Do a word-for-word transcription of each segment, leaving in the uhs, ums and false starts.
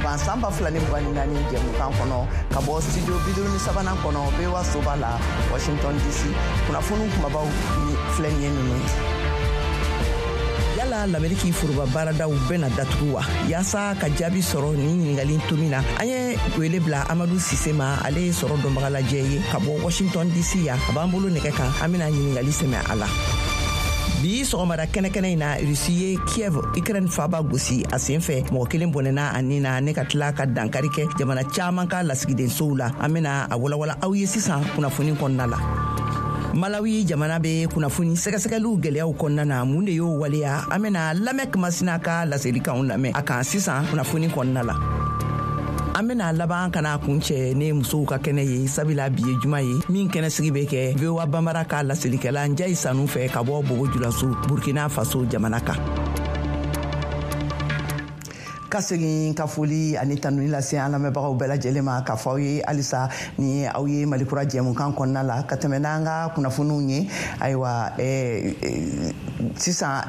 mugan san ba fila ni mugan ni naani jɛmukan kɔnɔ ka bɔ studio bi duuru ni sabanan kɔnɔ V O A soba la, Washington D C. Kunnafoniw kumabaw ni filɛ nin ye ninnu ye. Yala Lameriki foroba baaradaw bɛna datugu wa? Yaasa ka jaabi sɔrɔ nin ɲiningali tomi na, an ye wele bila Amadu Sise ma. Ale ye sɔrɔ dɔnbagalajɛ ye ka bɔ Washington D C yan. A b'an bolo nɛgɛ kan, an bena ɲiningali sɛmɛ a la. Bi sɔgɔmada kɛnɛkɛnɛ in na, Rusi ye Kiev, Ukraine faba gosi. A sen fɛ, mɔgɔ kelen bɔnɛna a nin na ne ka tila ka dankari kɛ jamana caaman ka lasigidensow la. An bena a walawala aw ye sisan kunnafoni kɔnɔna la. Malawi jamana bɛ kunnafoni sɛgɛsɛgɛliw gwɛlɛyaw kɔnɔna na. Mun de y'o waleya? An bena lamɛn kumasina ka laselikanw lamɛn a kan sisan kunnafoni kɔnɔna la. An bena laban ka na kun cɛ ne musow ka kɛnɛ ye, sabula bi ye juma ye min kɛnɛ sigi bɛ kɛ V O A Banbara ka laselikɛla Njayi Sanu fɛ ka bɔ Bobo Julaso, Burkina Faso jamana kan. Ka segin ka foli ani tanuni lase an lamɛnbagaw bɛɛ lajɛlen ma, k'a fɔ aw ye halisa ni aw ye Malikura jɛmukan kɔnɔna la ka tɛmɛ n'an ka kunnafoniw ye. Ayiwa, eh, sisan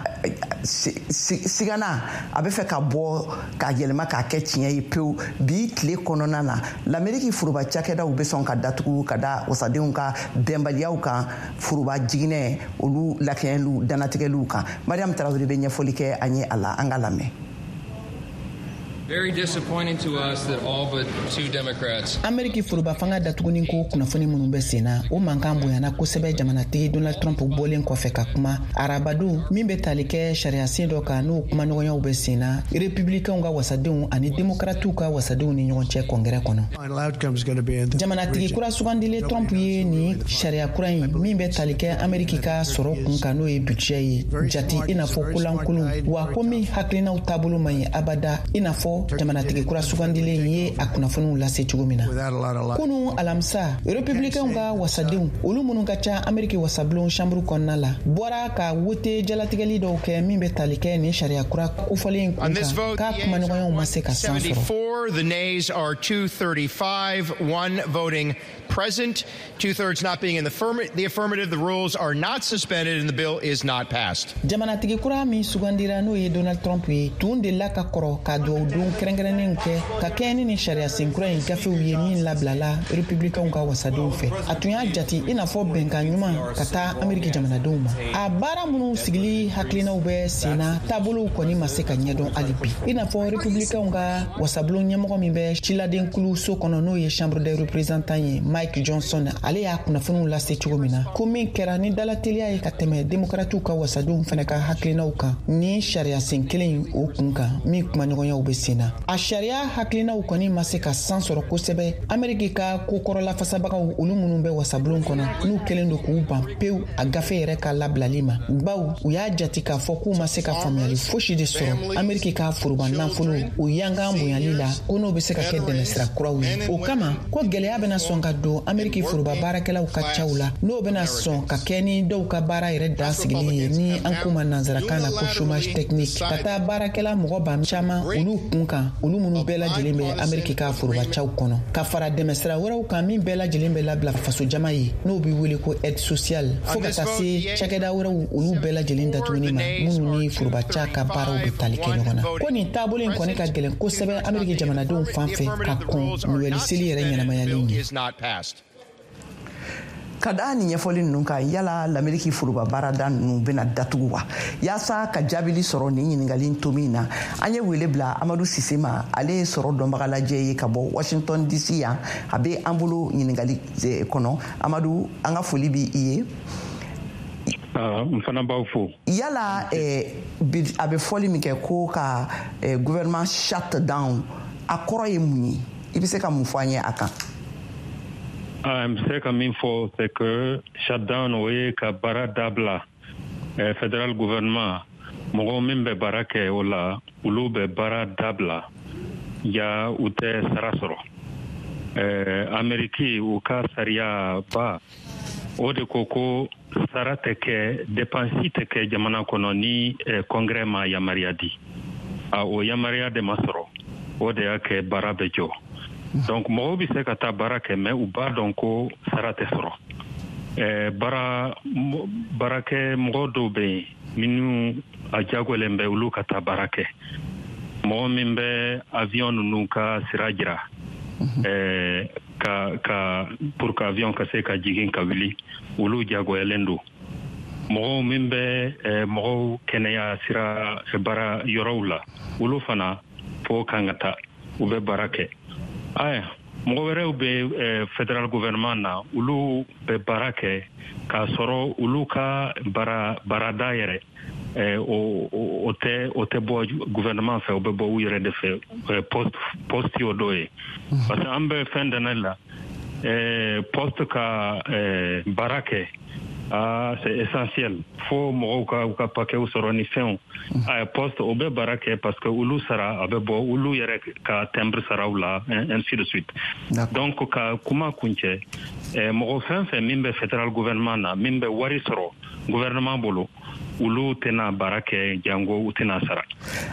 sigana a bɛ fɛ ka bɔ k'a yɛlɛma k'a kɛ tiɲɛ ye pewu. Bi tile kɔnɔna na, Lameriki foroba cakɛdaw bɛ sɔn ka datugu ka da wasadenw ka bɛnbaliyaw kan foroba jiginɛ olu lakɛɲɛliw dannatigɛliw kan. Mariam Tarawele bɛ ɲɛfɔli kɛ an ye a la. An ka lamɛn. Very disappointing to us that all but two Democrats. Ameriki foroba fanga datuguni ko kunnafoni minnu bɛ sen na, o mankan bonyana kosɛbɛ jamanatigi Donald Trump bɔlen kɔfɛ ka kuma arabadon min bɛ tali kɛ sariyasen dɔ kan, n'o kumaɲɔgɔnyaw bɛ sen na Republicainw ka wasadenw ani Demokratiw ka wasadenw ni ɲɔgɔn cɛ Kɔngɛrɛ kɔnɔ. Jamanatigi kura sugandilen Trump ye nin sariya kura in min bɛ tali kɛ Ameriki ka sɔrɔ kun kan, n'o ye budget ye, jati i n'a fɔ kolankolon wa, ko min hakilinaw taabolo man ɲi abada, i n'a fɔ jamanatigi kura sugandilen ye a kunnafoniw lase cogo min na kunu alamisa. Republicainw ka wasadenw, olu minnu ka ca Ameriki wasabulon chambre kɔnɔna la, bɔra ka wote jalatigɛli dɔw kɛ min bɛ tali kɛ nin sariya kura kofɔlen kun kan, k'a kumaɲɔgɔnyaw ma se ka san sɔrɔ. The nays are two thirty-five, one voting present, two thirds not being in the, the affirmative. The rules are not suspended and the bill is not passed. Jamanatigi kura min sugandira, n'o ye Donald Trump ye, tun delila ka kɔrɔ ka duwawu don kɛrɛnkɛrɛnnenw kɛ ka kɛɲɛ ni nin sariya kura in gafew ye min labilala Republicainw ka wasadenw fɛ. A tun y'a jati i n'a fɔ bɛnkan ɲuman ka taa Ameriki jamanadenw ma. A baara minnu sigili hakilinaw bɛ sen na, taabolow kɔni ma se ka ɲɛdɔn hali bi, i n'a fɔ Republicainw ka wasabulon ɲɛmɔgɔ min bɛ ciladenkulu so kɔnɔ, n'o ye Chambre des représentants ye, Mike Johnson, ale y'a kunnafoniw lase cogo min na, ko min kɛra ni dalateliya ye ka tɛmɛ Demokratiw ka wasadenw fana ka hakilinaw kan ni sariya sen kelen o kun kan min kumaɲɔgɔnyaw bɛ sen na. A sariya hakilinaw kɔni ma se ka san sɔrɔ kosɛbɛ. Ameriki ka kokɔrɔla fasabagaw, olu minnu bɛ wasabulon kɔnɔ, n'u kɛlen don k'u ban pewu a gafe yɛrɛ ka labilali ma, baw u y'a jati k'a fɔ k'u ma se ka faamuyali fosi de sɔrɔ Ameriki ka foroba nafolo o yankan bonyali la, ko n'o bɛ se ka kɛ dɛmɛsira kuraw ye. O kama ko gwɛlɛya bɛna sɔn ka don Ameriki foroba baarakɛlaw ka caw la, n'o bɛna sɔn ka kɛ ni dɔw ka baara yɛrɛ dan sigili ye, ni an k'u ma nansarakan na ko chômage technique, ka taa baarakɛla mɔgɔ ba caman olu kun kan, olu minnu bɛɛ lajɛlen bɛ Ameriki ka foroba caw kɔnɔ, ka fara dɛmɛsira wɛrɛw kan min bɛɛ lajɛlen bɛ labila fasojama ye, n'o bɛ wele ko aide sociale, fɔɔ ka taa se cakɛda wɛrɛw olu bɛɛ lajɛlen datuguni ma minnu ni foroba ca ka baaraw bɛ tali kɛ ɲɔgɔn na. Ko nin taabolo in kɔni ka gɛlɛn kosɛbɛ Ameriki jamanadenw fan fɛ ka kɔn Noɛli seli yɛrɛ ɲɛnamayali ɲɛ. Ka da nin ɲɛfɔli ninnu kan, yala Lameriki foroba baarada ninnu bɛna datugu wa? Yaasa ka jaabili sɔrɔ nin ɲiningali tomi na, an ye wele bila Amadu Sise ma. Ale ye sɔrɔ dɔnbagalajɛ ye ka bɔ Washington D C yan. A bɛ an bolo ɲiningali kɔnɔ. Amadu, an ka foli bi i ye. N fana b'aw fo. Yala a bɛ fɔli min kɛ ko ka gouvernement shut down, a kɔrɔ ye mun ye? I bɛ se ka mun fɔ an ye a kan? N bɛ se ka min fɔ, c'est que shutdown, o ye ka baara dabila. Federal gouvernement, mɔgɔw min bɛ baara kɛ o la, olu bɛ baara dabila ya, u tɛ sara sɔrɔ. Ameriki u ka sariya ba o de ko ko sara tɛ kɛ, dépense tɛ kɛ jamana kɔnɔ ni Congrès ma yamaruya di. A o yamaruya de ma sɔrɔ, o de y'a kɛ baara bɛ jɔ. Donc mɔgɔw bɛ se ka taa baara kɛ, mais u b'a dɔn ko sara tɛ sɔrɔ. Baara baarakɛ mɔgɔ dɔw bɛ yen minnu a jagolen bɛ olu ka taa baara kɛ. Mɔgɔ min bɛ avion ninnu ka sira jira, eh, ka ka pour que avion ka se ka jigin ka wuli, olu jagoyalen don. Mɔgɔw min bɛ eh, mɔgɔw kɛnɛya sira baara yɔrɔw la, olu fana fo kan ka taa, u bɛ baara kɛ. Aya, mɔgɔ wɛrɛw bɛ eh, federal gouvernement na, olu bɛ baara kɛ k'a sɔrɔ olu ka baara baarada yɛrɛ eh, o o tɛ o tɛ bɔ gouvernement fɛ, o bɛ bɔ u yɛrɛ de fɛ, eh, poste poste y'o dɔ ye. Parce que an bɛ fɛn dana la, eh, poste ka eh, baara kɛ, ah, c'est essentiel, fo mɔgɔw ka u ka paquetw sɔrɔ ni fɛnw. A poste o bɛ baara kɛ parce que olu sara a bɛ bɔ olu yɛrɛ ka timbre saraw la, ainsi de suite. Donc ka kuma kuncɛ, eh, mɔgɔ fɛn fɛn min bɛ federal gouvernement na, min bɛ wari sɔrɔ gouvernement bolo, olu tɛna baara kɛ jango u tɛna sara.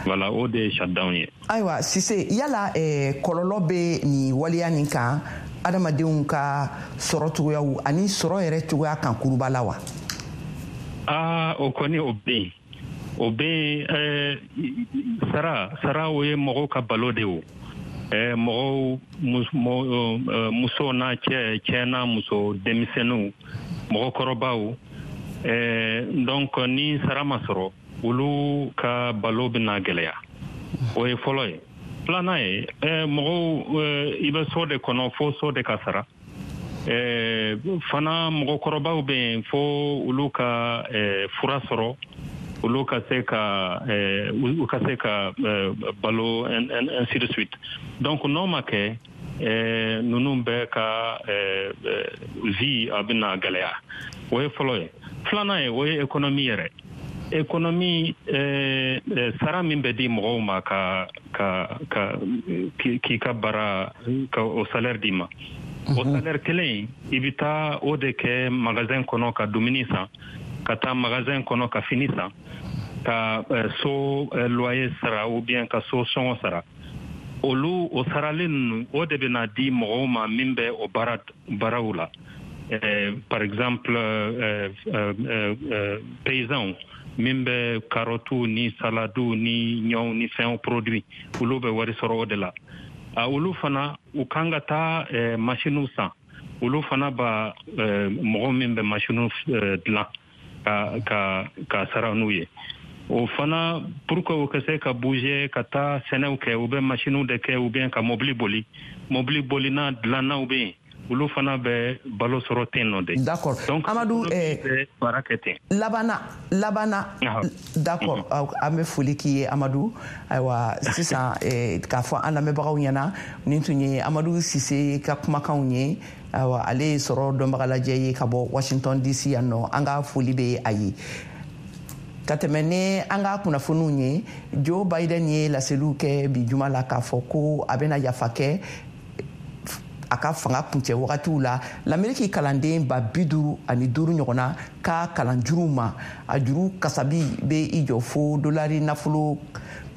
Voilà, o de ye shutdown ye. Ayiwa Sise, yala eh, kɔlɔlɔ bɛ nin waleya nin kan adamadenw ka sɔrɔ cogoyaw ani sɔrɔ yɛrɛ cogoya kan kuruba la wa? Aa, o kɔni o bɛ yen, o bɛ yen. Sara sara o ye mɔgɔw ka balo de o. Mɔgɔw, muso n'a cɛ, cɛ n'a muso, denmisɛnninw, mɔgɔkɔrɔbaw. Donc ni sara ma sɔrɔ, olu ka balo bɛna gɛlɛya. O ye fɔlɔ ye. Filanan ye, mɔgɔw, i bɛ so de kɔnɔ, fo so de ka sara. Fana mɔgɔkɔrɔbaw bɛ yen, fo olu ka fura sɔrɔ, olu ka se ka u ka se ka balo, ainsi de suite. Donc n'o ma kɛ, ninnu bɛɛ ka vie a bɛna gɛlɛya. O ye fɔlɔ ye. Filanan ye, o ye économie yɛrɛ. Économie, sara min bɛ di mɔgɔw ma ka ka ka k'i ka baara ka o salaire d'i ma, o salaire kelen i bɛ taa o de kɛ magasin kɔnɔ ka dumuni san, ka taa magasin kɔnɔ ka fini san, ka so loyer sara ou bien ka so sɔngɔ sara. Olu o saralen ninnu, o de bɛna di mɔgɔw ma min bɛ o baara baaraw la. Par exemple, paysans min bɛ carottes ni salades ni ɲɔw ni fɛnw produit, olu bɛ wari sɔrɔ o de la. Olu fana u kan ka taa machines san, olu fana ba mɔgɔ min bɛ machines dilan ka ka ka sara n'u ye. O fana pour que u ka se ka bouger ka taa sɛnɛw kɛ, u bɛ machines de kɛ ou bien ka mobili boli, mobili bolina dilannaw bɛ yen, olu fana bɛ balo sɔrɔ ten nɔ de. D'accord. Donc Amadou, eh, baara kɛ ten. Labana labana. D'accord, an bɛ foli k'i ye Amadou. Ayiwa sisan, k'a fɔ an lamɛnbagaw ɲɛna, nin tun ye Amadou Sise ka kumakanw ye. Ayiwa, ale ye sɔrɔ dɔnbagalajɛ ye ka bɔ Washington D C yan nɔ. An ka foli bɛ a ye. Ka tɛmɛ ni an ka kunnafoniw ye, Joe Biden ye laseliw kɛ bi juma la k'a fɔ ko a bɛna yafa kɛ a ka fanga kuncɛ wagatiw la Lameriki kalanden ba bi duuru ani duuru ɲɔgɔnna ka kalanjuruw ma. A juru kasabi bɛ i jɔ fo dolari nafolo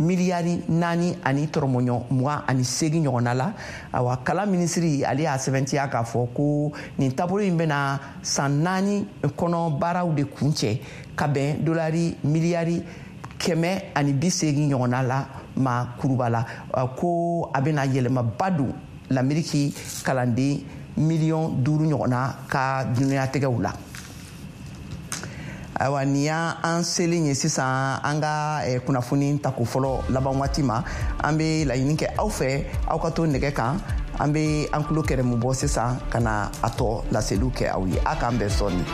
miliyari naani ani tɔrɔmɔɲɔ mugan ani seegin ɲɔgɔnna la. Awa, kalan minisiri, ale y'a sɛbɛntiya k'a fɔ ko nin taabolo in bɛna san naani kɔnɔ baaraw de kuncɛ ka bɛn dolari miliyari kɛmɛ ani bi seegin ɲɔgɔnna la ma kuruba la, ko a bɛna yɛlɛmaba don Lameriki kalanden miliyɔn duuru ɲɔgɔnna ka dunyatigɛw la. Ayiwa, nin y'an selen ye sisan an ka kunnafoni tako fɔlɔ laban waati ma. An bɛ laɲini kɛ aw fɛ, aw ka to nɛgɛ kan, an bɛ an tulo kɛrɛmu bɔ sisan ka na a tɔ laseliw kɛ aw ye. A k'an bɛn sɔɔni.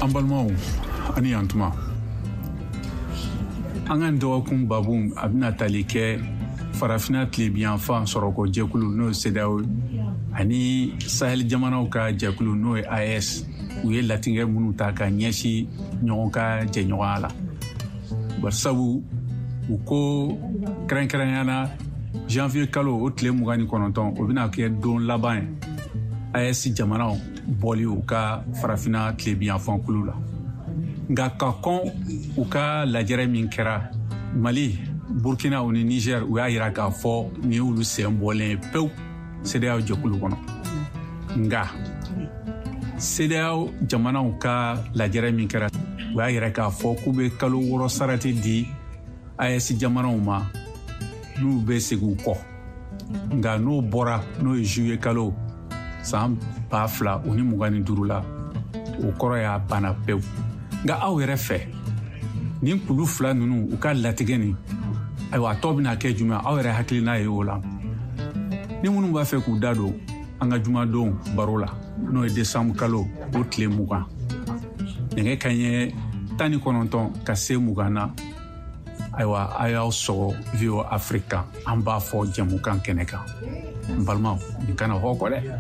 An balimaw, ani yantuma. An ka dɔgɔkun babu a bɛna tali kɛ Farafina tilebiyanfan sɔrɔko jɛkulu, n'o ye CEDEAO, ani Sahel jamanaw ka jɛkulu, n'o ye A E S, u ye latigɛ minnu ta ka ɲɛsin ɲɔgɔn ka jɛɲɔgɔnya la. Barisabu u ko kɛrɛnkɛrɛnya na, janvier kalo o tile mugan ni kɔnɔntɔn, o bɛna kɛ don laban ye A E S jamanaw bɔli u ka Farafina tilebiyanfan kulu la. Nka ka kɔn u ka lajɛrɛ min kɛra Mali, Burkina ni Niger, u y'a yira k'a fɔ nin y'olu sen bɔlen ye pewu CEDEAO jɛkulu kɔnɔ. Nka CEDEAO jamanaw ka lajɛrɛ min kɛra, u y'a yira k'a fɔ k'u bɛ kalo wɔɔrɔ sarati di A E S jamanaw ma n'u bɛ segin u kɔ. Nka n'o bɔra, n'o ye juillet kalo san ba fila o ni mugan ni duuru la, o kɔrɔ y'a banna pewu. Nka aw yɛrɛ fɛ, nin kulu fila ninnu u ka latigɛ nin, ayiwa a tɔ bɛna kɛ jumɛn? Aw yɛrɛ hakilina ye o la. Ni minnu b'a fɛ k'u da don an ka jumadon baro la, n'o ye décembre kalo o tile mugan, nɛgɛ kanɲɛ tan ni kɔnɔntɔn ka se mugan na, ayiwa a y'aw sɔgɔ V O A Afrique kan, an b'a fɔ jɛmukan kɛnɛ kan. N balimaw, nin kana hɔ kɔ dɛ,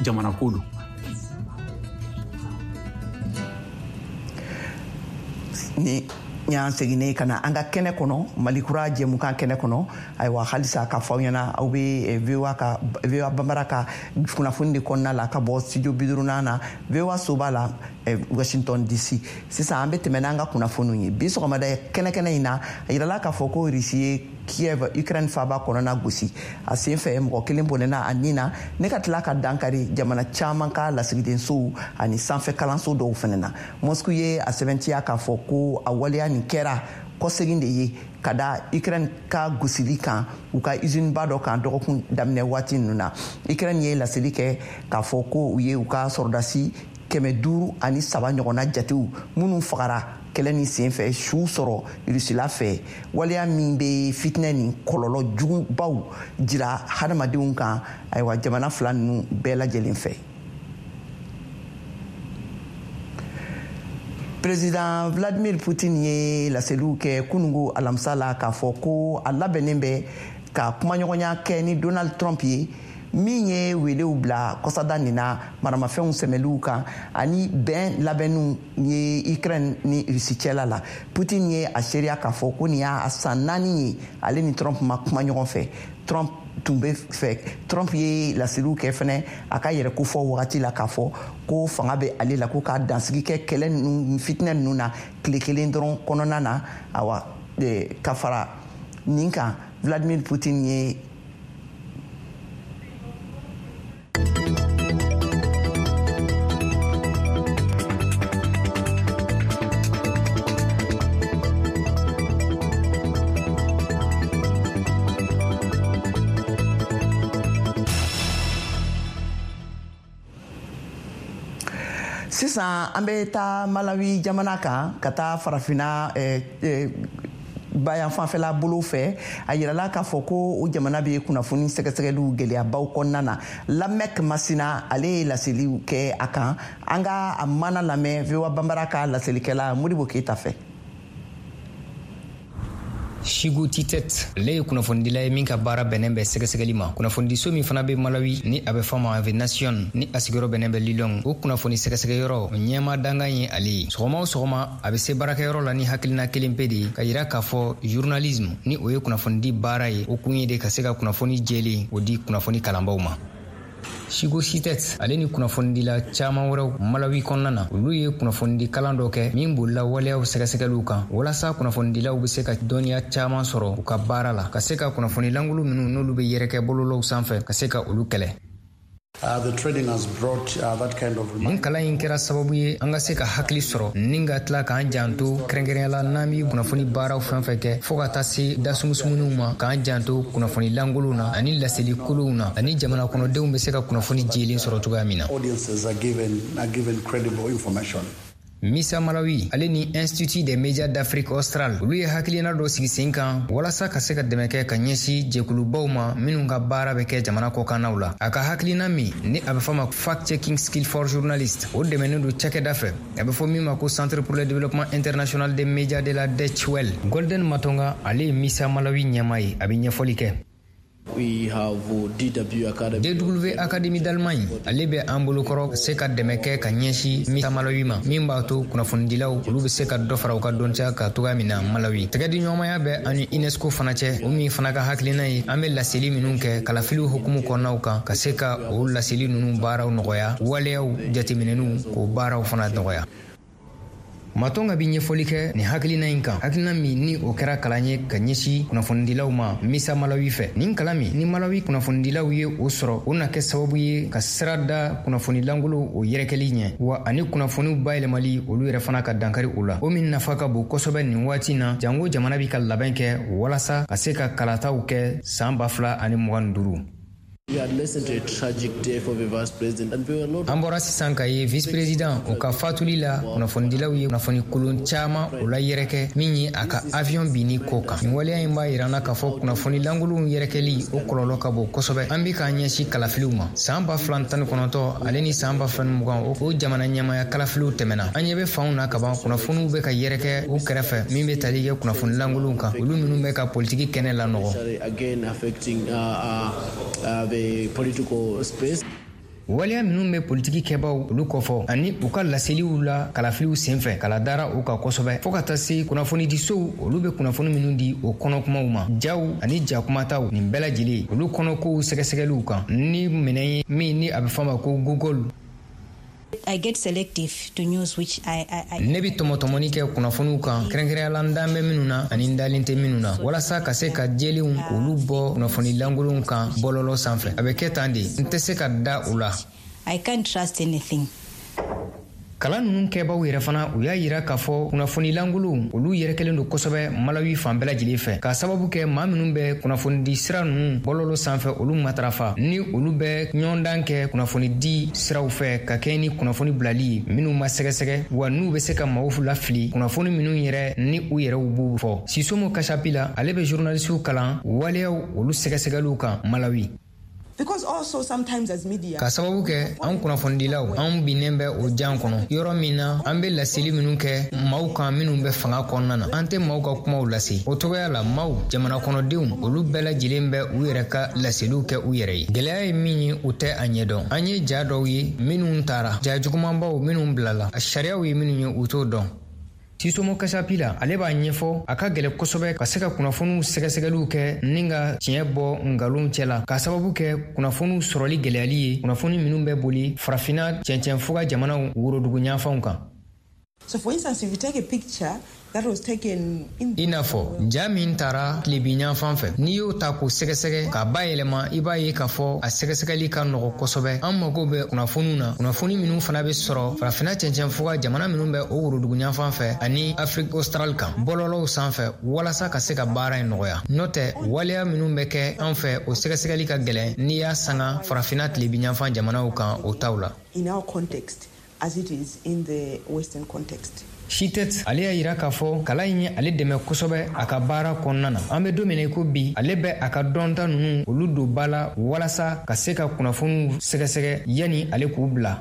jamana ko don. Ni y'an seginnen ka na an ka kɛnɛ kɔnɔ, Malikura jɛmukan kɛnɛ kɔnɔ, ayiwa halisa k'a fɔ aw ɲɛna, aw bɛ V O A ka V O A Bambara ka kunnafoni de kɔnɔna la ka bɔ studio bi duurunan na V O A soba la Washington D C. Sisan an bɛ tɛmɛ n'an ka kunnafoniw ye. Bi sɔgɔmada kɛnɛ kɛnɛ in na, a yirala k'a fɔ ko Russie ye Kiev, Ukraine faaba kɔnɔna gosi. A sen fɛ mɔgɔ kelen bɔnɛna a nin na, ne ka tila ka dankari jamana caman ka lasigidensow ani sanfɛ kalanso dɔw fana na. Moscou ye a sɛbɛntiya k'a fɔ ko a waleya nin kɛra kɔsegin de ye ka da Ukraine ka gosili kan u ka usine ba dɔ kan dɔgɔkun daminɛ waati ninnu na. Ukraine ye laseli kɛ k'a fɔ ko u ye u ka sɔrɔdasi kɛmɛ duuru ani saba ɲɔgɔnna jatew minnu fagara kɛlɛ ni sen fɛ su sɔrɔ Rusila fɛ, waleya min bɛ fitinɛ ni kɔlɔlɔ jugubaw jira hadamadenw kan, ayiwa jamana fila ninnu bɛɛ lajɛlen fɛ. Président Vladimir Poutine ye laseliw kɛ kunungo alamisa la k'a fɔ ko a labɛnnen bɛ ka kumaɲɔgɔnya kɛ ni Donald Trump ye, min ye welew bila kɔsada nin na maramafɛnw sɛmɛliw kan ani bɛn labɛnniw ye Ukraine ni Russie cɛla la. Poutine ye a seereya k'a fɔ ko nin y'a san naani ye ale ni Trump ma kuma ɲɔgɔn fɛ. Trump tun bɛ fɛ, Trump ye laseliw kɛ fɛnɛ a ka yɛrɛ kofɔ wagati la k'a fɔ ko fanga bɛ ale la, ko k'a dansigi kɛ kɛlɛ ninnu fitinɛ ninnu na tile kelen dɔrɔn kɔnɔna na. Awa ka fara nin kan, Vladimir Poutine ye sisan an bɛ taa Malawi jamana kan ka taa farafinna eh, eh, bayan fanfɛla bolo fɛ. A yirala k'a fɔ ko o jamana bɛ kunnafoni sɛgɛsɛgɛliw gɛlɛyabaw kɔnɔna na. Lamɛk Masina ale ye laseliw kɛ a kan. An ka a mana lamɛn V O A Bambara ka laselikɛla Modibo Keyita fɛ. Shigo Titet ale ye kunnafonidila ye min ka baara bɛnnen bɛ sɛgɛsɛgɛli ma. Kunnafonidiso min fana bɛ Malawi ni a bɛ fɔ ma The Nation ni a sigiyɔrɔ bɛnnen bɛ Lilong, o kunnafoni sɛgɛsɛgɛyɔrɔ ɲɛma dankan ye ale ye. Sɔgɔma o sɔgɔma a bɛ se baarakɛyɔrɔ la ni hakilina kelen pe de ye ka yira k'a fɔ journalisme ni o ye kunnafonidi baara ye, o kun ye de ka se ka kunnafoni jɛlen o di kunnafoni kalanbaw ma. Shigo Sitet ale ni kunnafonidila caman wɛrɛw Malawi kɔnɔna na, olu ye kunnafonidi kalan dɔ kɛ min bolila waleyaw sɛgɛsɛgɛliw kan walasa kunnafonidilaw bɛ se ka dɔnniya caman sɔrɔ u ka baara la, ka se ka kunnafoni lankolon minnu n'olu bɛ yɛrɛkɛ bɔlɔlɔw sanfɛ ka se ka olu kɛlɛ. Uh, the training has brought uh, that kind of Nin kalan in kɛra sababu ye an ka se ka hakili sɔrɔ ni ka tila k'an janto kɛrɛnkɛrɛnya la n'an bɛ kunnafoni baaraw fɛn fɛn kɛ fo ka taa se dasumusumunuw ma, k'an janto kunnafoni lankolonw na ani laseli kolonw na ani jamana kɔnɔdenw bɛ se ka kunnafoni jɛlen sɔrɔ cogoya min na. Audiences are given, are given credible information. Misa Malawi ale ni Institut des médias d'Afrique australe olu ye hakilina dɔ sigi sen kan walasa ka se ka dɛmɛ kɛ ka ɲɛsin jɛkulubaw ma minnu ka baara bɛ kɛ jamana kɔkannaw la. A ka hakilina min ni a bɛ fɔ ma fact checking skill for journalist, o dɛmɛnen don cakɛda fɛ a bɛ fɔ min ma ko Centre pour le développement international des médias de la Deutsche Welle. Golden Matonga ale ye Misa Malawi ɲɛmaa ye, a bɛ ɲɛfɔli kɛ. We have D W Academy. D W Academy d'Allemagne ale bɛ an bolokɔrɔ se ka dɛmɛ kɛ ka ɲɛsin Misa Malawi ma min b'a to kunnafonidilaw olu bɛ se ka dɔ fara u ka dɔnniya kan cogoya min na Malawi. Tɛgɛdiɲɔgɔnmaya bɛ ani UNESCO fana cɛ, o min fana ka hakilina ye an bɛ laseli minnu kɛ kalafiliw hukumu kɔnɔnaw kan ka se ka o laseli ninnu baaraw nɔgɔya, waleyaw jateminɛniw k'o baaraw fana nɔgɔya. Matonga bi ɲɛfɔli kɛ nin hakilina in kan, hakilina min ni o kɛra kalan ye ka ɲɛsin kunnafonidilaw ma Misa Malawi fɛ. Nin kalan min ni Malawi kunnafonidilaw ye o sɔrɔ, o na kɛ sababu ye ka sira da kunnafoni lankolon o yɛrɛkɛli ɲɛ, wa ani kunnafoniw bayɛlɛmali olu yɛrɛ fana ka dankari o la, o min nafa ka bon kosɛbɛ nin waati na, jango jamana bi ka labɛn kɛ walasa ka se ka kalataw kɛ san ba fila ani mugan ni duuru. An bɔra sisan ka ye vice-président o ka fatuli la, kunnafonidilaw ye kunnafoni kolon caman o la yɛrɛkɛ min ye a ka avion binni ko kan. Nin waleya in b'a yira an na k'a fɔ kunnafoni lankolonw yɛrɛkɛli o kɔlɔlɔ ka bon kosɛbɛ. An bɛ k'an ɲɛsin kalafiliw ma san ba fila tan ni kɔnɔntɔn ale ni san ba fila ni mugan, o jamana ɲɛmaya kalafiliw tɛmɛna. An ɲɛ bɛ fanw na kaban, kunnafoniw bɛ ka yɛrɛkɛ u kɛrɛfɛ min bɛ tali kɛ kunnafoni lankolonw kan, olu minnu bɛ ka politiki kɛnɛ lanɔgɔ. Political space. Waleya minnu bɛ politiki kɛbaw olu kɔfɔ ani u ka laseliw la kalafiliw senfɛ, kala dara u kan kosɛbɛ, fɔɔ ka taa se kunnafonidisow olu bɛ kunnafoni minnu di o kɔnɔkumaw ma, jaw ani jakumataw, nin bɛɛ lajɛlen olu kɔnɔkow sɛgɛsɛgɛliw kan ni minɛn ye min ni a bɛ fɔ a ma ko Google. I get selective to news which I, I, I... Ne bi tɔmɔtɔmɔni kɛ kunnafoniw kan, kɛrɛnkɛrɛnya la n dan bɛ minnu na ani n dalen tɛ minnu na, walasa ka se ka jɛlenw k'olu bɔ kunnafoni lankolonw kan bɔlɔlɔ sanfɛ. A bɛ kɛ tan de, n tɛ se ka da u la. I can't trust anything. Kalan ninnu kɛbaw yɛrɛ fana u y'a yira k'a fɔ kunnafoni lankolonw olu yɛrɛkɛlen don kosɛbɛ Malawi fan bɛɛ lajɛlen fɛ, k'a sababu kɛ maa minnu bɛ kunnafonidi sira ninnu bɔlɔlɔ sanfɛ olu matarafa, ni olu bɛ ɲɔgɔndan kɛ kunnafonidi siraw fɛ ka kɛɲɛ ni kunnafoni bilali ye minnu ma sɛgɛsɛgɛ, wa n'u bɛ se ka maaw lafili kunnafoni minnu yɛrɛ ni u yɛrɛw b'u fɔ. Sisomo Kasapila, ale bɛ journalisiw kalan waleyaw olu sɛgɛsɛgɛliw kan Malawi. Ka sababu kɛ an kunnafonidilaw, anw binnen bɛ o jan kɔnɔ yɔrɔ min na an bɛ laseli minnu kɛ maaw kan minnu bɛ fanga kɔnɔna na, an tɛ maaw ka kumaw lase. O cogoya la maaw, jamana kɔnɔdenw, olu bɛɛ lajɛlen bɛ u yɛrɛ ka laseliw kɛ u yɛrɛ ye. Gɛlɛya ye min ye, u tɛ a ɲɛdɔn. An ye ja dɔw ye minnu taara, ja jugumanbaw minnu bilala, a sariyaw ye minnu ye u t'o dɔn. Sisomo Kasapila, ale b'a ɲɛfɔ a ka gɛlɛ kosɛbɛ ka se ka kunnafoniw sɛgɛsɛgɛliw kɛ ni ka tiɲɛ bɔ nkalonw cɛ la, k'a sababu kɛ kunnafoniw sɔrɔli gɛlɛyali ye, kunnafoni minnu bɛ boli farafinna cɛncɛnfuga jamanaw worodugu ɲanfanw kan. So for instance, if you take a picture that was taken in... I n'a fɔ ja min taara tilebin yanfan fɛ, n'i y'o ta k'o sɛgɛsɛgɛ k'a bayɛlɛma, i b'a ye k'a fɔ a sɛgɛsɛgɛli ka nɔgɔ kosɛbɛ. An mago bɛ kunnafoniw na, kunnafoni minnu fana bɛ sɔrɔ farafinna cɛncɛnfuga jamana minnu bɛ o worodugu yanfan fɛ ani Afrique australe kan bɔlɔlɔw sanfɛ, walasa ka se ka baara in nɔgɔya. N'o tɛ, waleya minnu bɛ kɛ an fɛ, o sɛgɛsɛgɛli ka gɛlɛn n'i y'a sanga farafinna tilebin yanfan jamanaw kan o taw la. In our context, as it is in the Western context. Chitet, ale y'a yira k'a fɔ kalan in ye ale dɛmɛ kosɛbɛ a ka baara kɔnɔna na. An bɛ don min na i ko bi, ale bɛ a ka dɔnta ninnu olu don ba la walasa ka se ka kunnafoniw sɛgɛsɛgɛ yanni ale k'u bila.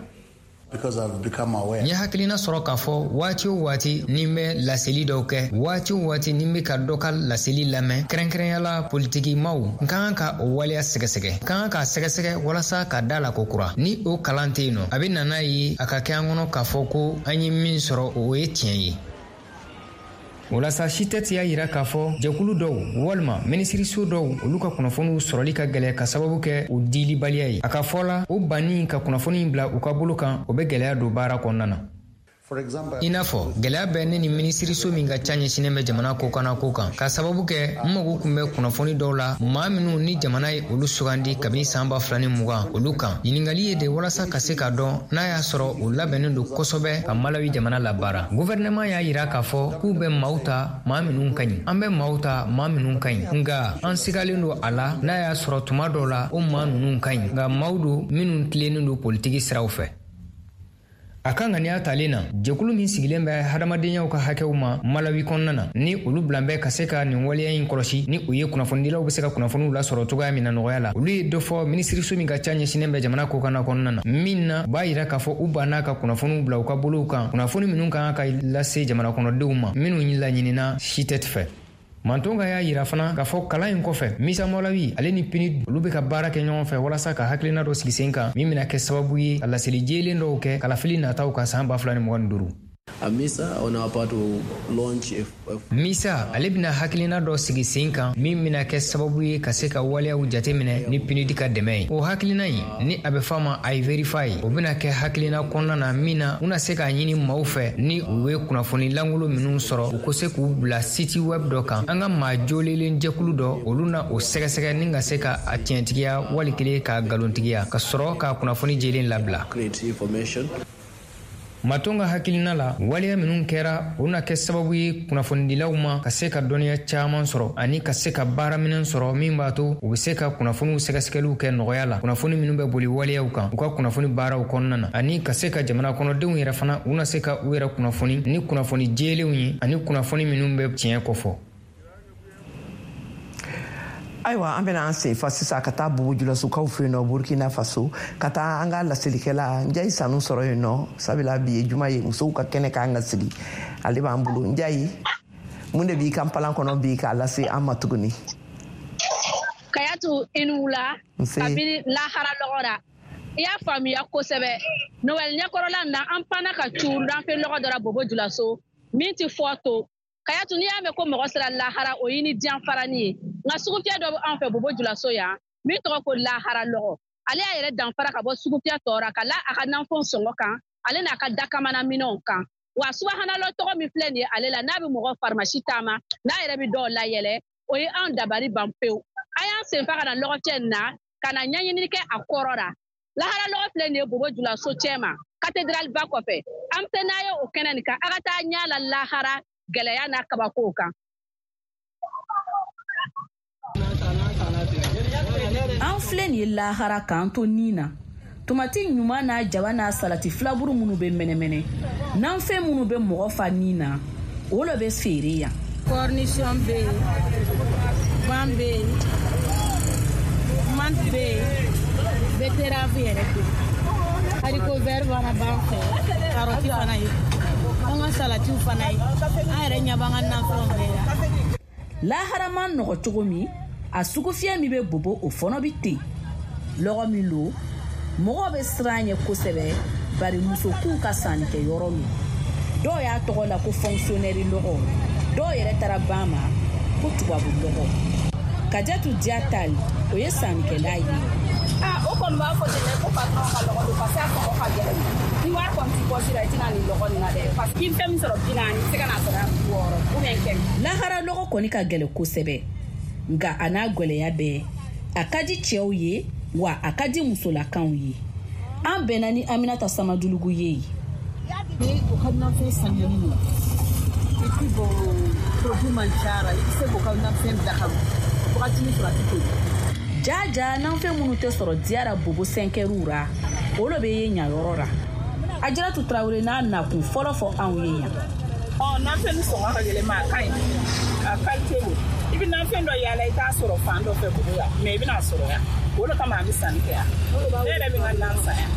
N ye hakilina sɔrɔ k'a fɔ waati o waati ni n bɛ laseli dɔw kɛ, waati o waati ni n bɛ ka dɔ ka laseli lamɛn, kɛrɛnkɛrɛnya la politikimaw, n ka kan ka o waleya sɛgɛsɛgɛ, n ka kan k'a sɛgɛsɛgɛ walasa ka da la ko kura. Ni o kalan tɛ yen nɔ, a bɛ na n'a ye a ka kɛ an kɔnɔ k'a fɔ ko an ye min sɔrɔ o ye tiɲɛ ye. Walasa Chitet y'a yira k'a fɔ jɛkulu dɔw walima minisiriso dɔw olu ka kunnafoniw sɔrɔli ka gɛlɛ ka sababu kɛ u dilibaliya ye. A ka fɔ la, o banni ka kunnafoni bila u ka bolo kan, o bɛ gɛlɛya don baara kɔnɔna na. I n'a fɔ gɛlɛya bɛ ne ni minisiriso min ka ca ɲɛsinnen bɛ jamana kokanna ko kan, ka sababu kɛ n mago tun bɛ kunnafoni dɔw la maa minnu ni jamana ye olu sugandi kabini san ba fila ni mugan olu kan. Ɲininkali ye de walasa ka se k'a dɔn n'a y'a sɔrɔ u labɛnnen don kosɛbɛ ka Malawi jamana labaara. Guvɛrɛnɛman y'a yira k'a fɔ k'u bɛ maaw ta maa minnu ka ɲi, an bɛ maaw ta maa minnu ka ɲi, nka an sigalen don a la n'a y'a sɔrɔ tuma dɔw la o maa ninnu ka ɲi, nka maaw don minnu tilennen don politiki siraw fɛ. A ka ŋaniya talen na, jɛkulu min sigilen bɛ hadamadenyaw ka hakɛw ma Malawi kɔnɔna na, ni olu bilan bɛ ka se ka nin waleya in kɔlɔsi, ni u ye kunnafonidilaw bɛ se ka kunnafoniw lasɔrɔ cogoya min na nɔgɔya la, olu ye dɔ fɔ minisiriso min ka ca ɲɛsinnen bɛ jamana kokanna kɔnɔna na, min na b'a yira k'a fɔ u banna ka kunnafoniw bila u ka bolow kan, kunnafoni minnu kan ka lase jamana kɔnɔdenw ma minnu laɲinina Chitet fɛ. Mantonga y'a yira fana k'a fɔ kalan in kɔfɛ, Misa Malawi ale ni P N U D olu bɛ ka baara kɛ ɲɔgɔn fɛ walasa ka hakilina dɔ sigi sen kan min bɛna kɛ sababu ye ka laseli jɛlen dɔw kɛ kalafili nataw kan san ba fila ni mugan ni duuru. MISA on our part will launch a, a... MISA ale bɛna hakilina dɔ sigi sen kan min bɛna kɛ sababu ye ka se ka waleyaw jateminɛ ni P N U D ka dɛmɛ ye. O hakilina in ni a bɛ f'a ma iVerify, o bɛna kɛ hakilina kɔnɔna na min na u na se k'a ɲini maaw fɛ, ni u ye kunnafoni lankolon minnu sɔrɔ, u ko se k'u bila site web dɔ kan. An ka maa jolelen jɛkulu dɔ, olu na o sɛgɛsɛgɛ ni ka se ka a tiɲɛtigiya wali kelen k'a nkalontigiya, ka sɔrɔ k'a kunnafoni jɛlen labila. Create information. Maton ka hakilina la, waleya minnu kɛra, o na kɛ sababu ye kunnafonidilaw ma ka se ka dɔnniya caman sɔrɔ ani ka se ka baaraminɛn sɔrɔ min b'a to u bɛ se ka kunnafoniw sɛgɛsɛgɛliw kɛ nɔgɔya la, kunnafoni minnu bɛ boli waleyaw kan u ka kunnafoni baaraw kɔnɔna na, ani ka se ka jamana kɔnɔdenw yɛrɛ fana, u na se ka u yɛrɛ kunnafoni ni kunnafoni jɛlenw ye ani kunnafoni minnu bɛ tiɲɛ kɔfɔ. Ayiwa, an bɛna an sen fa sisan ka taa Bobo Julasokaw fɛ yen nɔ, Burkina Faso, ka taa an ka laselikɛla Njayi Sanu sɔrɔ yen nɔ, sabula bi ye juma ye, musow ka kɛnɛ k'an ka sigi. Ale b'an bolo. Njayi, mun de b'i ka npalan kɔnɔ bi k'a lase an ma tuguni? Kayatu, i ni wula. Kabini lahara lɔgɔ ra, i y'a faamuya kosɛbɛ. Noɛl ɲɛkɔrɔla na, an panna ka cu ranfe lɔgɔ dɔ la Bobo Julaso min ti fɔ to. Kayatu, n'i y'a mɛn ko mɔgɔ sera lahara, o y'i ni diyanfarani ye. Nka sugufiyɛ dɔ bɛ an fɛ Bobo Julaso yan min tɔgɔ ko lahara lɔgɔ. Ale y'a yɛrɛ danfara ka bɔ sugufiyɛ tɔ ra ka la a ka nanfɛnw sɔngɔ kan, ale n'a ka dakamana minɛnw kan. Wa subahanalɔ tɔgɔ min filɛ nin ye ale la, n'a bɛ mɔgɔ farimasi taama, n'a yɛrɛ bɛ dɔw layɛlɛ, o ye anw dabari ban pewu. An y'an senfa ka na lɔgɔcɛ nin na ka na ɲɛɲinini kɛ a kɔrɔ la. Lahara lɔgɔ filɛ nin ye Bobo Julaso cɛ ma, cathédrale ba kɔfɛ. An bɛ se n'a ye o kɛnɛ nin kan, a ka taa ɲɛ la lahara gɛlɛya n'a kabakow kan. An filɛ nin ye lahara k'an to nin na, tomati ɲuman n'a jaba n'a salati filaburu minnu bɛ mɛnɛmɛnɛ, nanfɛn minnu bɛ mɔgɔ fa nin na, o lo bɛ feere yan. Cornichon bɛ yen, gan bɛ yen, menthe bɛ yen, betterave yɛrɛ bɛ yen, haricot vert fana b'an fɛ, carotte fana ye, an ka salatiw fana ye, an yɛrɛ ɲɛ b'an ka nafɛnw bɛɛ la. Lahara man nɔgɔ cogo min, a sugufiyɛ min bɛ Bobo, o fɔnɔ bɛ ten. Lɔgɔ min lo, mɔgɔw bɛ siran ɲɛ kosɛbɛ, bari musokunw ka sannikɛyɔrɔ lo. Dɔw y'a tɔgɔ la ko fonctionnaire lɔgɔ, dɔw yɛrɛ taara ban ma ko tubabu lɔgɔ. Kajatu Diatal, o ye sannikɛla ye. Ah, o kɔni b'a fɔ ten dɛ ko patron ka lɔgɔ don, parce que a sɔngɔ ka gɛlɛn. Ni wari kɔni t'i poche la, i tɛna nin lɔgɔ nin na dɛ, parce que i bɛ fɛn min sɔrɔ bi naani, i tɛ se ka n'a sɔrɔ yan bi wɔɔrɔ ou bien kɛmɛ. Lahara lɔgɔ kɔni ka gɛlɛn kosɛbɛ, nka a n'a gɛlɛya bɛɛ, a ka di cɛw ye wa a ka di musolakanw ye. An bɛnna ni Aminata Samadulugu ye yen. Ni o ka nafɛn saniyalen don, et puis bon, produit man ca la, i bɛ se k'o ka nafɛn bila ka wagatinin sɔrɔ, a tɛ toli. Jaja, nanfɛn minnu tɛ sɔrɔ diyara Bobo sɛnkɛriw ra, o lo bɛ ye ɲayɔrɔ ra. Ajaratu Tarawele n'a nakun fɔlɔ fɔ anw ye yan. Ɔ, nafɛn ni sɔngɔ ka gɛlɛn, ma a ka ɲi, a qualité don. I bɛ nafɛn dɔ yaala, i t'a sɔrɔ fan dɔ fɛ Bobo yan, mais i bɛna sɔrɔ yan. O de kama an bɛ sanni kɛ yan. Ne yɛrɛ bɛ n ka nan san yan.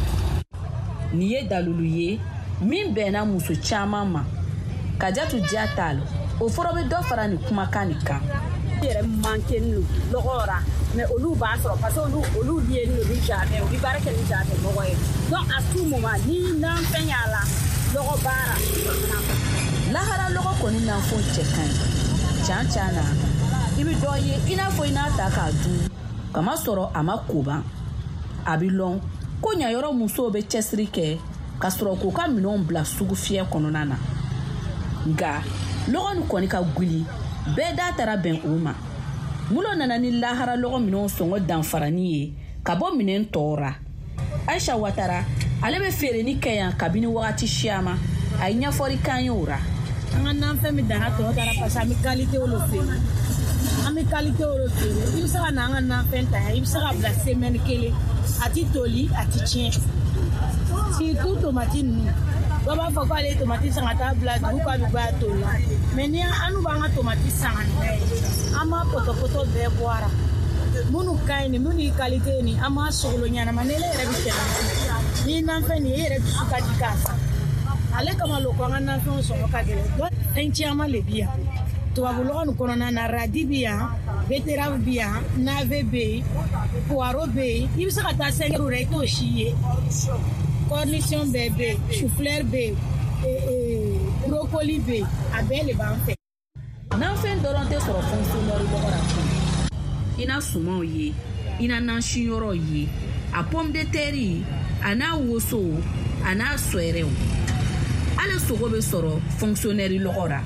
Nin ye dalilu ye min bɛnna muso caman ma. Kajatu Diatal, o fɔlɔ bɛ dɔ fara nin kumakan nin kan. Yɛrɛ manqué don lɔgɔ ra, mais olu b'a sɔrɔ parce que olu olu lié don ni jardin, u bɛ baara kɛ ni jardin mɔgɔ ye. Donc à tout moment ni nafɛn y'a la, lɔgɔ baara. Lahara lɔgɔ kɔni nanfɛnw cɛ ka ɲi can can na. I bɛ dɔ ye i n'a fɔ i n'a ta k'a dun, kamasɔrɔ a ma koban. A bɛ lɔn ko ɲayɔrɔ musow bɛ cɛsiri kɛ ka sɔrɔ k'u ka minɛnw bila sugufiyɛ kɔnɔna na. Nka lɔgɔ nin kɔni ka guli, bɛɛ da taara bɛn o ma. Mulo nana ni lahara lɔgɔ minɛnw sɔngɔ danfarani ye ka bɔ minɛn tɔw ra. Aisha Watara, ale bɛ feereni kɛ yan kabini wagati siyama. A ye ɲɛfɔli k'an ye o ra. An ka nafɛn bɛ dan tɔ taara parce que an bɛ qualité o feere, an bɛ qualité o feere. I bɛ se ka na an ka nafɛn ta yan, i bɛ se ka bila semaine kelen, a ti toli, a ti tiɲɛ. Surtout tomati ninnu, dɔw b'a fɔ k'ale ye tomati san ka taa bila dugu k'a bɛ bɔ a toli la, mais ni an n'u b'an ka tomati san ka na ye, an b'a pɔtɔpɔtɔ bɛɛ bɔ a la. Minnu ka ɲi nin, minnu ye qualité ye nin, an b'a sogolo ɲɛnama. Ni ne yɛrɛ bɛ tɛmɛ ni nafɛn nin ye, e yɛrɛ dusu ka di k'a san. Ale kama lo ko an ka nafɛnw sɔngɔ ka gɛlɛn. Fɛn caman de bi yan tubabu lɔgɔ nin kɔnɔna na. Radis bi yan, betterave bi yan, navet bɛ yen, poireau bɛ yen. I bɛ se ka taa cinq euros la, i t'o si ye. Cornichon bɛɛ bɛ yen, chou-fleur bɛ yen, Brocoli bɛ yen, a bɛɛ de b'an fɛ. Nanfɛn dɔrɔn tɛ sɔrɔ fonctionnaire lɔgɔ la koyi. I na sumanw ye, i na nansiyɔrɔ ye, a pomme de terre, a n'a woso, a n'a sɔɛrɛw. Ale sogo bɛ sɔrɔ fonctionnaire lɔgɔ la.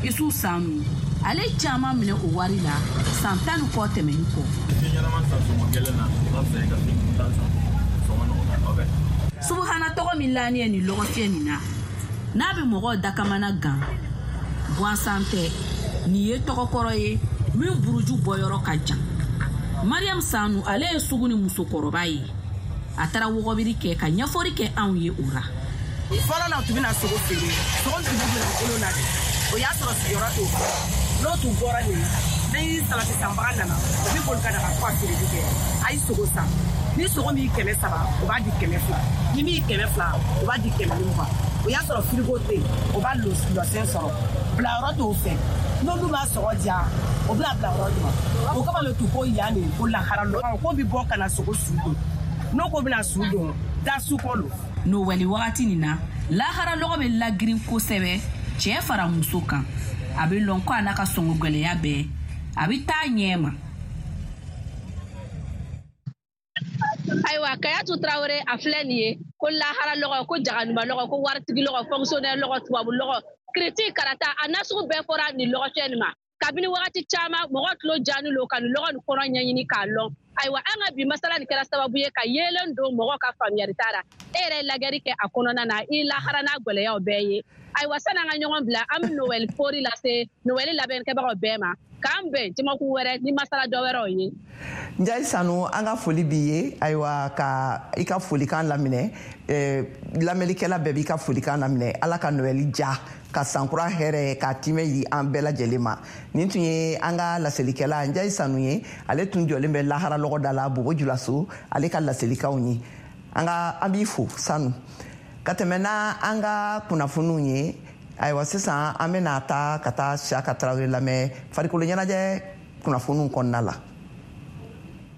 Isu Sanu, ale caman minɛ o wari la san tan ni kɔ tɛmɛni kɔ. Fɛn ɲɛnama san sɔngɔ gɛlɛn na, o ka fisa i ka fɛn kuntan san sɔngɔ nɔgɔ la. Subuhana tɔgɔ min laani ye nin lɔgɔfiyɛ nin na, n'a bɛ mɔgɔw dakamana gan, gansan tɛ, nin ye tɔgɔkɔrɔ ye min buruju bɔyɔrɔ ka jan. Mariam Sanu, ale ye sugu ni musokɔrɔba ye. A taara wɔgɔbiri kɛ ka ɲɛfɔli kɛ anw ye o la. Fɔlɔ la, u tun bɛna sogo feere, sogo tun bɛ bila bolo la de. O y'a sɔrɔ sigiyɔrɔ t'o bolo. N'o tun bɔra nin, ni salati sanbaga nana, o bɛ boli ka na ka to ka feereli kɛ. A ye sogo san. Ni sogo min kɛmɛ saba, o b'a di kɛmɛ fila. Ni min kɛmɛ fila, o b'a di kɛmɛ ni mugan. O y'a sɔrɔ firigo tɛ yen, o b'a lɔsɛn sɔrɔ. Bilayɔrɔ t'o fɛ. N'olu b'a sɔgɔ diya, o bɛna bila yɔrɔ jumɛn? O kama le tun ko yan de ko lahara lɔ. Ko bɛ bɔ ka na sogo su don. N'o ko bɛna su don, da su kɔ lo. Nowɛli wagati nin na, lahara lɔgɔ bɛ lagirin kosɛbɛ, cɛ fara muso kan. A bɛ lɔn ko a n'a ka sɔngɔ gɛlɛya bɛɛ, a bɛ taa ɲɛ ma. Ayiwa, Kayatu Tarawele, a filɛ nin ye ko lahara lɔgɔ, ko jaganuba lɔgɔ, ko waritigi lɔgɔ, fonctionnaire lɔgɔ, tubabu lɔgɔ, kiriti karata, a nasugu bɛɛ fɔra nin lɔgɔfiyɛ nin ma. Kabini wagati caman, mɔgɔ tulo jaani lo ka nin lɔgɔ nin kɔnɔ ɲɛɲini k'a lɔn. Ayiwa, an ka bi masala nin kɛra sababu ye ka yeelen don mɔgɔ ka faamuyali t'a la. E yɛrɛ ye lajɛli kɛ a kɔnɔna na, i lahara n'a gwɛlɛyaw bɛɛ ye. Ayiwa, sani an ka ɲɔgɔn bila, an bɛ Noël fori lase Noël labɛnnikɛbagaw bɛɛ ma. K'an bɛn jamakulu wɛrɛ ni masala dɔ wɛrɛw ye. Njayi Sanu, an ka foli b'i ye. Ayiwa, ka i ka folikan laminɛ, eh, lamɛnnikɛla bɛɛ b'i ka folikan laminɛ. Ala ka Noël ja, ka sankura hɛrɛ ka timɛ yi an bɛɛ lajɛlen ma. Nin tun ye an ka laselikɛla Njayi Sanu ye. Ale tun jɔlen bɛ lahara lɔgɔ da la Bobo Julaso, ale ka laselikanw ye. An ka an b'i fo Sanu. Ka tɛmɛ n'a an ka kunnafoniw ye. Ayiwa, sisan an bɛna taa ka taa Siyaka Tarawele lamɛn farikolo ɲɛnajɛ kunnafoniw kɔnɔna la.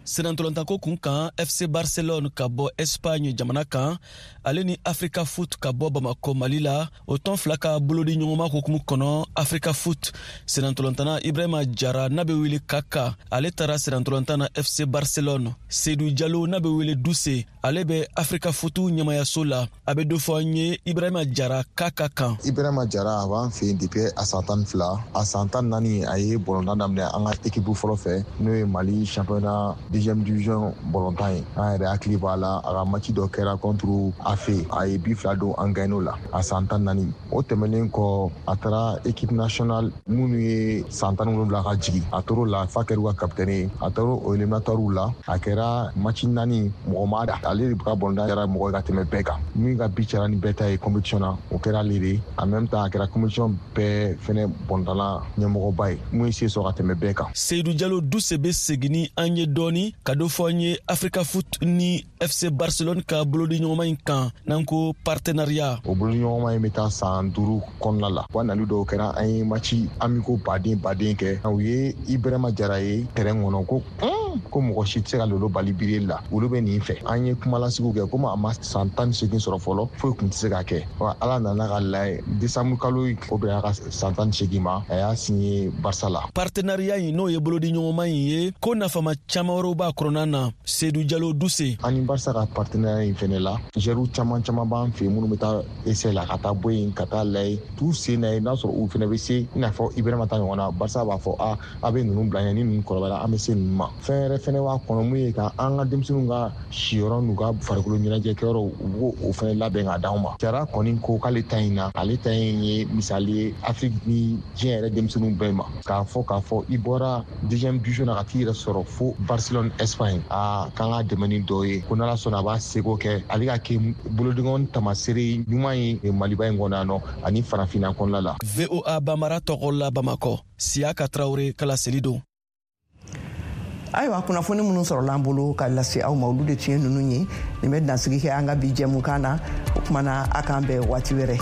Senatɔlɔntako kun kan, F C Barcelone ka bɔ Espagne jamana kan, ale ni Africa Foot ka bɔ Bamako, Mali la, o tɔn fila ka bolodi ɲɔgɔnma hukumu kɔnɔ, Africa Foot senatɔlɔntana Ibrahima Jara n'a bɛ wele Kaka, ale taara senatɔlɔntan na F C Barcelone. Seydou Jalo n'a bɛ wele Duse, ale bɛ Africa Foot ɲɛmayaso la. A bɛ dɔ fɔ an ye Ibrahima Jara Kaka kan. Ibrahima Jara, a b'an fɛ yen depuis a san tan ni fila. A san tan naani, a ye bɔlɔntan daminɛ an ka équipe fɔlɔ fɛ, n'o ye Mali championnat deuxième division bɔlɔntan ye. An yɛrɛ hakili b'a la, a ka match dɔ kɛra contre A F E, a ye bi fila don, an gagné o la, a san tan naani. O tɛmɛnen kɔ, a taara équipe nationale minnu ye san tan ni wolonwula ka jigin, a tor'o la f'a kɛra u ka capitaine ye. A taara o éliminatoire la, a kɛra match naani, mɔgɔ ma da ale de ka bɔlɔntan kɛra mɔgɔ ye ka tɛmɛ bɛɛ kan. Min ka bi cayara ni bɛɛ ta ye compétition na, o kɛra ale de ye. En même temps, a kɛra compétition bɛɛ fɛnɛ bɔlɔntanna ɲɛmɔgɔba ye, mun ye se sɔrɔ ka tɛmɛ bɛɛ kan. Seydou Jalo Duse bɛ segin ni an ye dɔɔni ka dɔ fɔ an ye Africa Foot ni F C Barcelone ka bolodi ɲɔgɔnma in kan, n'an ko partenariat. O bolodiɲɔgɔnma in bɛ taa san duuru kɔnɔna la wa. Nali dɔw kɛra, an ye match amicaux baden baden kɛ. U ye Ibrahima Jara ye terrain kɔnɔ, ko ko mɔgɔ si tɛ se ka lolo bali biri la, olu bɛ nin fɛ. An ye kumalasigiw kɛ, komi a ma san tan ni seegin sɔrɔ fɔlɔ, foyi tun tɛ se ka kɛ wa. Ala nana ka layɛ, décembre kalo, o bɛnna ka san tan ni seegin ma, a y'a signé Barça la. Partenariat in, n'o ye bolodi ɲɔgɔnma in ye, ko nafama caman wɛrɛw b'a kɔnɔna na. Seydou Jalo Duse. An ni Barça ka partenariat in fɛnɛ la, joueurs caman caman b'an fɛ yen minnu bɛ taa essai la ka taa bɔ yen ka taa layɛ t'u sen na ye, n'a sɔrɔ u fɛnɛ bɛ se i n'a fɔ Ibrahima ta ɲɔgɔn na. Barça b'a fɔ a a bɛ ninnu bila ɲɛ, ni ninnu kɔrɔbayara, an bɛ se ninnu ma. Fɛn wɛrɛ fɛnɛ b'a kɔnɔ, mun ye ka an ka denmisɛnninw ka siyɔrɔ n'u ka farikolo ɲɛnajɛkɛyɔrɔw, u b'o o fɛnɛ labɛn k'a d'anw ma. Jara kɔni ko k'ale ta in na, ale ta in ye misali ye Afiriki ni diɲɛ yɛrɛ denmisɛnninw bɛɛ ma, k'a fɔ k'a fɔ i bɔra deuxième division na ka t'i yɛrɛ sɔrɔ fo Barcelone, Espagne. Aa, k'an ka dɛmɛ ni dɔ ye, ko n'Ala sɔnna, a b'a seko kɛ ale ka kɛ bolodiɲɔgɔn tamasere ɲuman ye Maliba in kɔnɔ yan nɔ ani farafinna kɔnɔna la. V O A Bambara tɔgɔ la, Bamakɔ, Siyaka Tarawele kala seli don. Ayiwa, kunnafoni minnu sɔrɔla an bolo ka lase aw ma, olu de tun ye ninnu ye. Nin bɛ dansigi kɛ an ka bi jɛmukan na. O kumana, a k'an bɛn waati wɛrɛ.